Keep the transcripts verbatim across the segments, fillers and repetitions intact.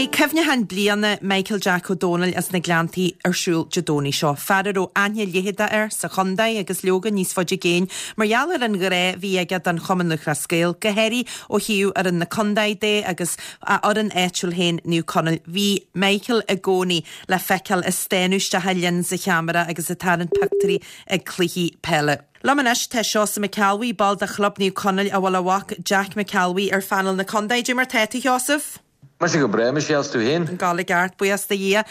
Beidh cuimhneachán bliana Michael Jack Ó Dónaill as na Gleanntaí ar siúl Dé Domhnaigh seo. Fear a raibh aithne leitheadach air sa chontae agus leoga níos faide i gcéin mar gheall ar an ghrá a bhí aige don Chumann Lúthchleas Gael, go háirithe ó thaobh fhoireann na contae de agus a fhoireann áitiúil féin Naomh Conaill. Bhí Michael i gcónaí le feiceáil ag stánadh isteach i lionsa cheamara agus ag tarraingt pictiúirí ag cluichí peile. Liom anois tá Seosamh McElwee, ball de Chlub Naomh Conaill a bhfuil a mhac Jack McElwee ar phainéal na contae. Cad é mar tá tú Sheosamh? Mar go breá is tú féin? An gála ceart buíochas do Dhia.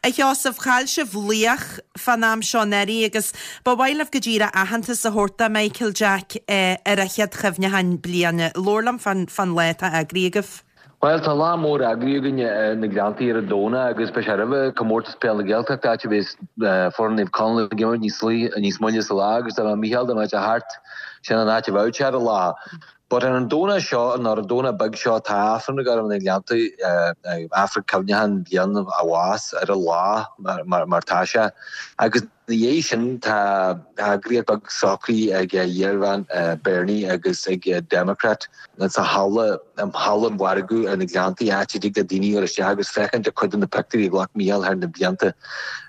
A Sheosaimh chaill sibh laoch fán am seo anuraidh agus ba mhaith libh go díreach aitheantas a thabhairt do Michael Jack eh, ar a chéad chuimhneachán bliana. Labhair liom fán fán lá atá eagraithe agaibh. Well tá lá mór eagraithe againn na Gleanntaí ar an Domhnach agus beidh sé roimh comórtas peile na Gaeltachta áit a bheas foireann Naomh Conaill ag imirt níos níos moille sa lá agus tá Micheál dá mbeadh sé thart sin an áit a bheadh sé ar an lá. But ar an Domhnach seo an ar an Domhnach beag seo tá Aifreann ag na Gleanntaí Aifreann cuimhneacháin bliain a bháis ar an lá mar mar tá sé. Agus na dhiaidh sin tá eagraíocht beag socraithe ag iarbhean Bernie agus ag Democrat sa halla halla an mhargaidh ar na Gleanntaí áit a dtig le daoine ar isteach agus féachaint ar chuid de na pictiúirí a ghlac Micheál thar na blianta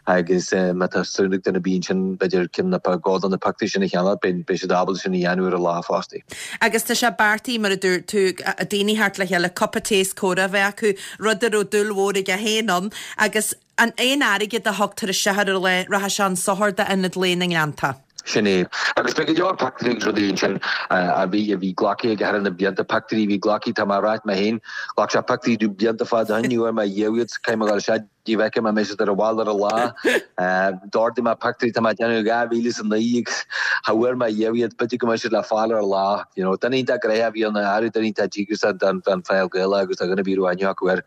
agus má tá súil ag duine bíonn sin b'fhéidir ceann nó dhó de na pictiúirí sin a cheannach beidh siad ábalta sin a dhéanamh ar an lá fosta. Agus tá sé beartaithe mar a dúirt tú daoine thart le chéile cupa tae is comhrá a bheith acu rud a raibh dúil mhór aige féin ann agus an aon airgead a thugtar isteach ar an lá rachaidh sé chun sochair d'Ionad Lae na nGleannta. Sin é. Agus beidh go leor pictiúirí agus rudaí ansin a bhí a bhí glactha aige thar na blianta pictiúirí a bhí glactha tá mé ag ráit mé féin ghlac sé pictiúirí domh blianta fada ó shin ní bhfuair mé riamh iad caithfidh mé dul isteach dtí bhfeicfidh mé mé siad ar an bhall ar an lá. D'ordaigh mé pictiúirí tá mé ag déanamh dhá mhíle is a naoi agus cha bhfuair mé riamh iad b'fhéidir go mbeidh siad le fáil ar an lá. You know, duine iontach gnoitheach a bhí ann ar duine iontach díograiseach don don pheil Ghaelach agus tá dhuine ar bith a raibh aithne acu air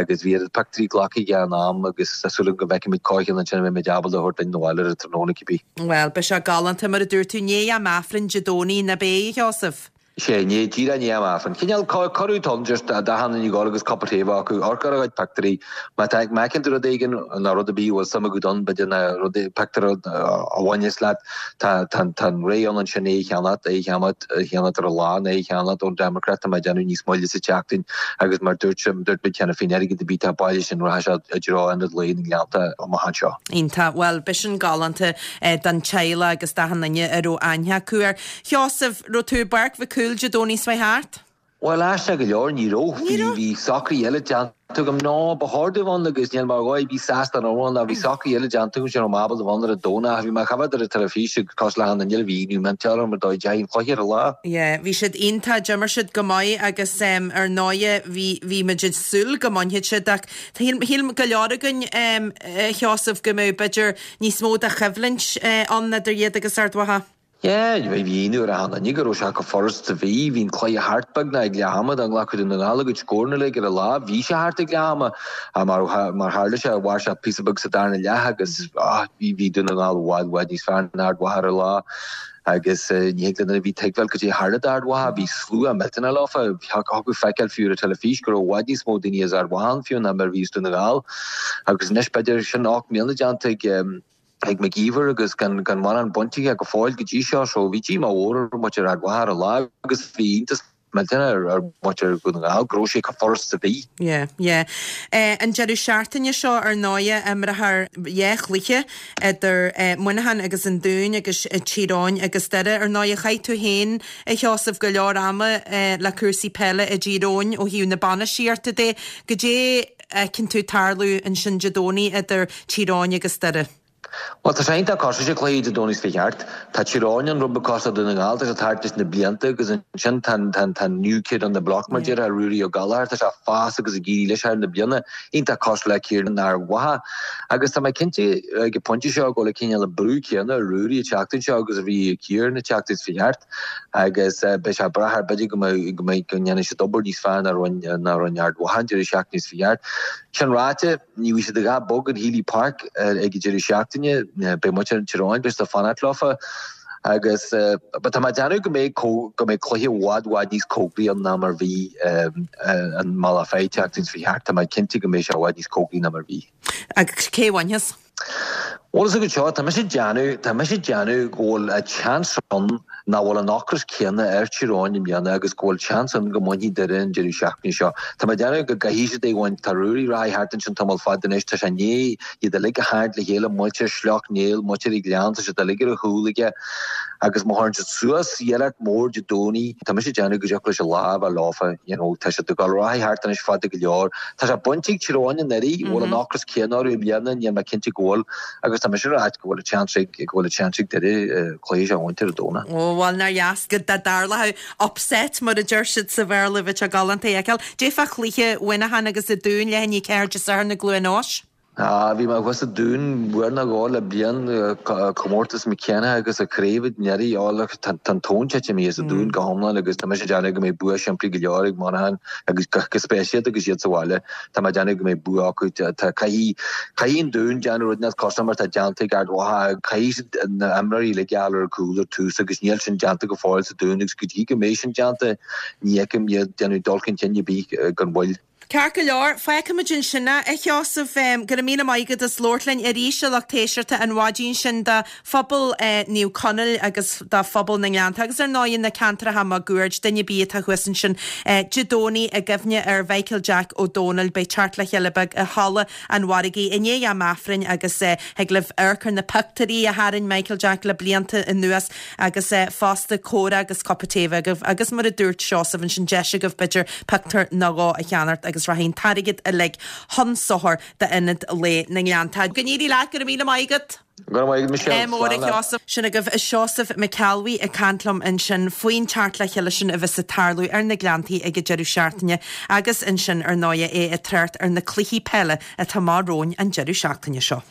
agus bhí iad pictiúirí glactha aige in am agus tá súil agam go bhfeicfimid cóipcheann ansin a mbeimid ábalta a thabhairt linn abhaile ar an tráthnóna cibé. Well, beidh sé galánta mar a dúirt tú i ndiaidh am Aifrinn Dé Domhnaigh nach ea a Sheosaimh. Sé ní díreach i ndiaidh am Aifrinn. Cineál cuireadh ann just d'achan duine ag dul agus cupa tae acu amharc ar a gcuid pictiúirí má tá má fheiceann tú rud éigin nó rud ar bith a bhfuil suim agat ann b'fhéidir na rudaí pictiúr a bhaineas leat tá tá tá an rogha ann ansin é a cheannach é a cheannach a cheannach ar an lá nó é a cheannach ón Democrat tá mé ag déanamh níos moille sa tseachtain agus mar dúirt dúirt muid cheana féin airgead ar bith atá bailithe sin rachaidh sé i dtreo Ionad Lae na nGleannta amach anseo. Iontach well b'shin galánta eh, don teaghlach agus d'achan duine a raibh aithne acu air. Sheosamh raibh tú i bPáirc Mhic Cumhaill Dé Domhnaigh seo thart? Well aisteach go leor ní raibh bhí bhí socruithe eile déanta agam ná ba chóir domh ann agus níl mar dhóigh bhí sásta an ann bhí socruithe eile déanta agam sin raibh mé ábalta bheith ann ar an Domhnach bhí mé coimhéad ar an teilifís ag cos le han bhí nó mentear mar dóigh dein chluiche ar an lá. Yeah, bhí siad iontach d'imir siad go maith agus um, ar ndóigh bhí bhí muid ag súil go mbainfeadh siad ach shíl shíl go leor againn um, Sheosamh go mbeadh b'fhéidir níos mó de choimhlint uh, ann idir iad agus Ard Mhacha. Yeah, bhí nuair a hana ní go raibh sé go furast a bhí, bhí'n cluiche thart beagnach ag leath ama dá nglacfadh Dún na nGall a gcuid scóranna uilig ar an lá, bhí sé thart ag leath ama mar mar tharla sé mhair sé píosa beag sa darna leath agus ah, bhí bhí Dún na nGall i bhfad i bhfad níos fearr ná Ard Mhacha ar an lá. agus ní hiad a bhí tuigbheáil go dtí tharla d'Ard Mhacha, bhí slua millteanach leofa, thiocfadh feiceáil fiú ar an teilifís go raibh i bhfad níos mó daoine as Ard Mhacha ann fiú ná mar a bhí as Dún na nGall. Agus anois b'fhéidir sin ocht mbliana déanta ag ag McGeever agus gan gan mórán bainte aige go fóill go dtí seo so bhí díomá mhór ar mhuintir Ard Mhacha ar an lá agus bhí iontas millteanach ar ar mhuintir Dhún na nGall go raibh sé chomh furast a bhí. Yeah, yeah. Uh, an deireadh seachtaine seo ar ndóigh imreofar dhá chluiche idir uh, Muineachán agus an Dún agus uh, Tír Eoghain agus Doire ar ndóigh chaith tú féin a Sheosamh go leor ama uh, le cúrsaí peile i dTír Eoghain ó thaobh na bainistíochta de go dé fheiceann tú tarlú ansin Dé Domhnaigh idir Tír Eoghain agus Doire. Well tá sé iontach cosúil le cluiche Dé Domhnaigh seo thart. Tá Tír Eoghain an rud cosúil Dún na nGall tá sé thart leis na blianta agus ansin tá tá tá new kid on the block mar déarfá Ruairí Ó Gallchóir tá sé ag fás agus ag éirí leis thar na bliana iontach cosúil le Kieran Ard Mhacha. Agus tá mé cinnte ag an bpointe seo go le cineál an brú céanna ar Ruairí an tseachtain seo agus a bhí Kieran an tseachtain seo thart agus beidh sé brath ar b'fhéidir go mbeidh go mbeidh go ndéanfaidh siad obair níos fearr ná rinne ná rinne Ard Mhacha an deireadh seachtaine seo thart. Sin ráite ní bhí siad ag bog an Healy Park ag an deireadh seachtaine beidh muintir Tír Eoghain beidh siad ag fanacht leofa agus ba tá mé ag déanamh go mbeidh go mbeidh cluiche i bhfad i bhfad níos cóngaraí ann ná mar bhí an Mullach an tseachtain seo thart tá mé cinnte go mbeidh sé i bhfad níos cóngaraí ná mar bhí. Agus cé bhainfeas? Bhuel is go seo tá mise ag déanamh tá mise ag déanamh go bhfuil a chance ann nach bhfuil an ocras céanna ar Thír Eoghain i mbliana agus go bhfuil seans ann go mbainfidh Doire an deireadh seachtaine seo. Tá mé ag déanamh go gcaithfidh siad é a bhaint. Tá Ruairí Reilly thart ansin tamall fada anois, tá sé i ndiaidh iad uilig a tharraingt le chéile, muintir Shleacht Néill, muintir an Ghleann, tá siad uilig ar a chúl aige agus má chuireann siad suas iarracht mhór Dé Domhnaigh, tá mise ag déanamh go dtiocfadh leis an lá a bheith leofa, you know, tá siad ag dul ar aghaidh thart anois fada go leor. Tá sé bainte ag Tír Eoghain anuraidh, bhfuil an ocras céanna orthu i mbliana, níl mé cinnte go bhfuil agus tá mise ag ráit go bhfuil an seans ag go bhfuil an seans ag Doire cluiche seo a bhaint ar an Domhnach. Ó bhuel nár dheas go dtarlódh upset mar a deir siad sa Bhéarla bheadh sé galánta a fheiceáil. Cad é fá chluiche Mhuineacháin agus an Dúin leath i ndiaidh a ceathair Dé Sathairn i gCluain Eois. Ah, bhí mé thuas sa Dún uair nó dhó le bliain, comórtas McKenna agus an chraobh anuraidh. Ó look, tá an tóin tite imithe as an Dún go hiomlán agus tá mise ag déanamh go mbeidh bua simplí go leor ag Monaghan agus go speisialta agus iad sa bhaile. Tá mé ag déanamh go mbeidh bua acu. Tá caithfidh caithfidh an Dún déanamh rud nach cosúil mar atá déanta ag Ard Mhacha. Caithfidh siad na himreoirí uilig a fháil ar a gcúl ar tús agus níl sin déanta go fóill sa Dún agus go dtí go mbeidh sin déanta ní fheicim iad déanamh dul chun cinn ar bith gan mhoill. Ceart go leor, fágfaimid ansin é, a Sheosaimh. Go raibh míle maith agat as labhairt linn arís, a lucht éisteachta, an mhaidin sin do phobal Naomh Conaill agus do phobal na nGleannta agus ar ndóigh na ceantracha máguaird, duine ar bith atá thuas ansin Dé Domhnaigh i gcuimhne ar Mhichael Jack Ó Dónaill. Beidh teacht le chéile beag i Halla an Mhargaidh i ndiaidh am Aifrinn agus thig libh amharc ar na pictiúirí a tharraing Michael Jack le blianta anuas agus fosta comhrá agus cupa tae agaibh agus mar a dúirt Seosamh ansin deis agaibh b'fhéidir pictiúr nó dhó a cheannacht agus rachaidh an t-airgead uilig chun sochair d'Ionad Lae na nGleannta. Go n-éirí leat, go raibh míle maith agat! Go raibh maith agat Michelle. Mór a Sheosaimh. Sin agaibh Seosamh Mac Ceallbhuí ag caint liom ansin faoin teacht le chéile sin a bheas ag tarlú ar na Gleanntaí ag an deireadh seachtaine agus ansin ar ndóigh é ag trácht ar na cluichí peile atá amach romhainn an deireadh seachtaine seo.